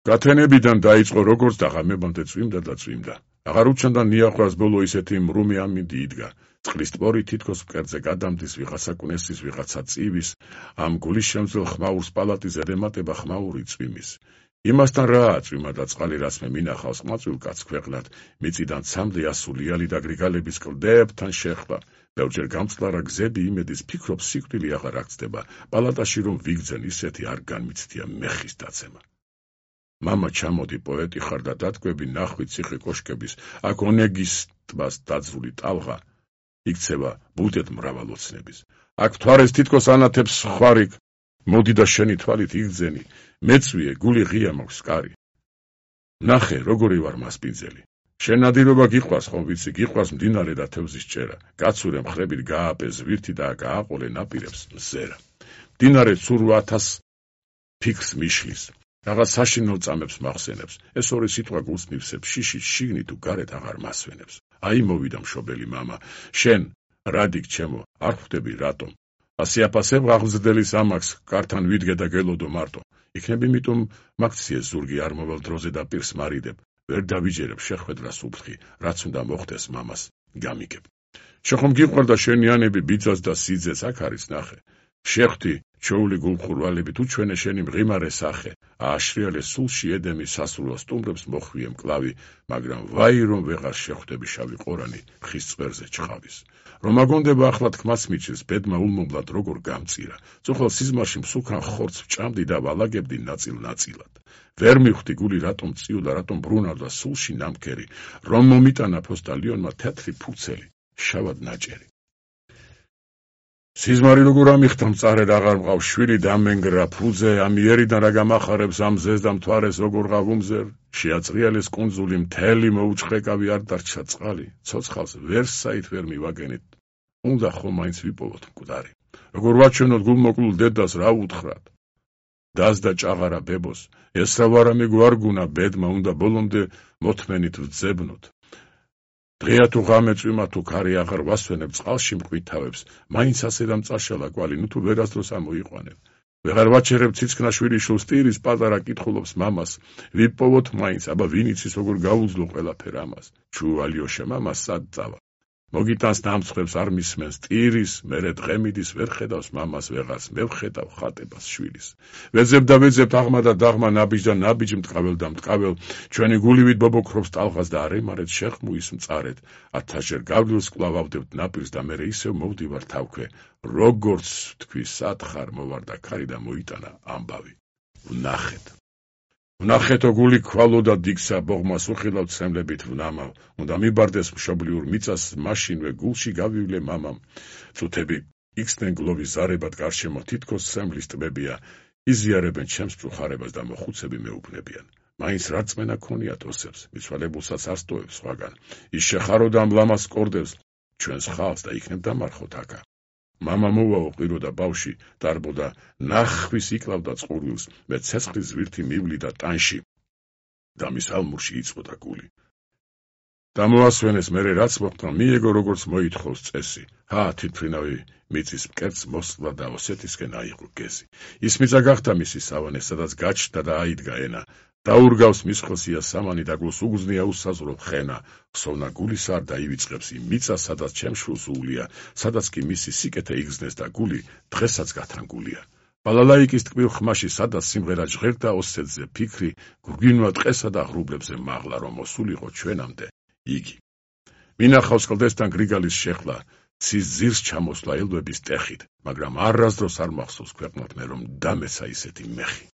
გათენებიდან დაიწყო როგორც დაღამებამდე წვიმდა და წვიმდა. აღარ უჩნდა ნიახვას ბოლო ისეთი მრუმი ამინდი იდგა. წყლის ტბორი თითქოს მკერდზე გადამდის ვიღაცა კვნესის ვიღაცა წივის, ამ გულის შემძლელ ხმაურს პალატის ზედემატება ხმაური წვიმის. იმასთან რა წვიმა და წყალი რაც მე მინახავს ყმაწვილ კაცს ქვეყნად, მიწიდან ცამდე ასულიანი და გრიგალების კლდებთან შეხლა. ბევრჯერ გამწყლარა გზები იმედის ფიქრობს სიკვდილი აღარ აქცდება, პალატაში რომ ვიგძენ ისეთი არ განმიცდია მეხის დაცემა. მამა ჩამოდი პოეტი ხარ და დათქვები ნახვი ციხე კოშკების, აქ ონეგის ტბას დაძრული ტალღა, იქცევა ბუდეთ მრავალოცნების. აქ მთვარეს თითქოს ანათებს ხვარი, მოდი და შენი თვალით იგძენი, მეწვიე გული ღია მაქვს კარი. ნახე როგორი ვარ მასპინძელი. შენ ნადირობა გიყვარს ხომ ვიცი, გიყვარს მდინარე და თევზის ჭერა, გაცურე მხრებით გააპე ზვირთი და გააყოლე ნაპირებს მზერა. მდინარე ცურუ 1000 ფიქრს მიშლის. რაღაც საშინელ წამებს მახსენებს, ეს ორი სიტყვა გულს მივსებს, შიშით შიგნით თუ გარეთ აღარ მასვენებს. აი მოვიდა მშობელი მამა, შენ რადიქ ჩემო, არ ხვდები რატომ? ასიაფასებ აღზრდელის ამაკს, კართან ვიდგე და გელოდო მარტო. იქნებ იმიტომ მაქციე ზურგი არ მოვალ დროზე და პირს მარიდებ, ვერ დავიჯერებ შეხვედრას უფრთხი, რაც უნდა მოხდეს მამას, გამიგებ. შეხომ გიყვარდა შენიანები ბიძას და სიძეს აქ არის ნახე. შეხვდი ჩოული გულხურვალებით უჩვენე შენი მღიმარე სახე, ააშრიალე სულში ედემი სასრულო სტუმრებს მოხვიე მკლავი, მაგრამ ვაი რომ ვეღარ შეხვდები შავი ყორანი ხის წვერზე ჩხავის. რომ აგონდება ახლა თქმაც მიჩის, ბედმა ულმობლად როგორ გამწირა, წუხელ სიზმარში მსუქან ხორცს ვჭამდი და ვალაგებდი ნაწილ-ნაწილად. ვერ მივხვდი გული რატომ წიულა, რატომ ბრუნავდა სულში ნამქერი, რომ მომიტანა ფოსტალიონმა თეთრი ფუცელი, შავად ნაჭერი. სიზმარი როგორ ამიხთა მწარედ აღარ მყავს შვილი დამენგრა ფუძე, ამიერიდან რა გამახარებს ამ ზეს და მთვარეს როგორ ღავუმზერ, შეაწრიალეს კუნძული მთელი მოუჩხეკავი არ დარჩა წყალი, ცოცხალს ვერსაით ვერ მივაგენით, უნდა ხომ მაინც ვიპოვოთ მკვდარი, როგორ ვაჩვენოთ გულმოკლულ დედას რა უთხრათ, დას და ჭაღარა ბებოს, ეს რა ვარამე გვარგუნა ბედმა უნდა ბოლომდე მოთმენით ვძებნოთ. დღეა თუ ღამე წვიმა თუ ქარი აღარ ვასვენებ წყალში მყვითავებს, მაინც ასე დამწაშალა კვალი, ნუ თუ ვერასდროს ამოიყვანებ. ვეღარ ვაჩერებ ციცქნა შვილიშვილს ტირის პატარა კითხულობს მამას, ვიპოვოთ მაინც, აბა ვინ იცის როგორ გაუძლო ყველაფერ ამას. ჩუ ალიოშა მამას სად წავა. მოგიტანს დამცხებს არ მისმენს ტირის, მერე დღემიდის ვერ ხედავს მამას ვეღარს, მე ვხედავ ხატებას შვილის. ვეძებ და ვეძებ აღმა და დაღმა ნაბიჯ და ნაბიჯ მტყაվել და მტყაվել, ჩვენი გულივით ბობოქრობს ტალღას და არ ემარეთ შეხმუის მწარეთ, 1000-ჯერ გავლილს კვლავ ავდებთ ნაპირს და მერე ისევ მოვდივარ თავქვე, როგორც თქვი სათხარ მოვარდა ქარი და მოიტანა ამბავი. ვნახეთო გული ქვალო და დიგსა ბოღმას უხილავ ცემლებით ვნამავ, უნდა მიბარდეს მშობლიურ მიწას მაშინვე გულში გავივლე მამამ. წუთები იხსნენ გლოვის ზარებად გარშემო თითქოს სემლის ტბებია, იზიარებენ ჩემს მწუხარებას და მოხუცები მეუბნებიან. მაინც რა რწმენა ქონიათ ოსებს, მიცვალებულსაც არ სტოვებს სხვაგან, ის შეხარო და ამ ლამას კორდებს ჩვენს ხალხს და იქნებ დამარხოთ აკა. მამა მოვაო ყირო და ბავში, დარბოდა ნახვის იკლავდა წყურვილს, მე ცეცხლის ზვირთი მივლიდა ტანში და მის ალმურში იწვოდა გული. დამოასვენეს მერე რაც მოხდა, მიეგო როგორც მოითხოვს წესი, თითფრინავი მიწის მკერდს მოსვლა და ოსეთისკენ აიღო გეზი. ის მიწა გახდა მისი სავანე, სადაც გაჩნდა და აიდგა ენა. დაურგავს მის ხელსია სამანი და გულს უგზნია უსაზრო ხენა, ხსოვნა გულის არ დაივიწყებს იმ მიწას, სადაც ჩემშვილს უვლია, სადაც კი მისი სიკეთე იგზნეს და გული დღესაც გათანგულია. ბალალაიკის ტკბილ ხმაში, სადაც სიმღერა ჟღერდა ოსეთზე ფიქრი, გვგინვა ტყესა და ღრუბლებზე მაღლა, რომ მოსულიყო ჩვენამდე იგი. მინახავს კლდესთან გრიგალის შეხლა, ცის ძირს ჩამოსვლა ელვების ტეხით, მაგრამ არასდროს არ მახსოვს ქვეყნად მე რომ დამეცა ისეთი მეხი.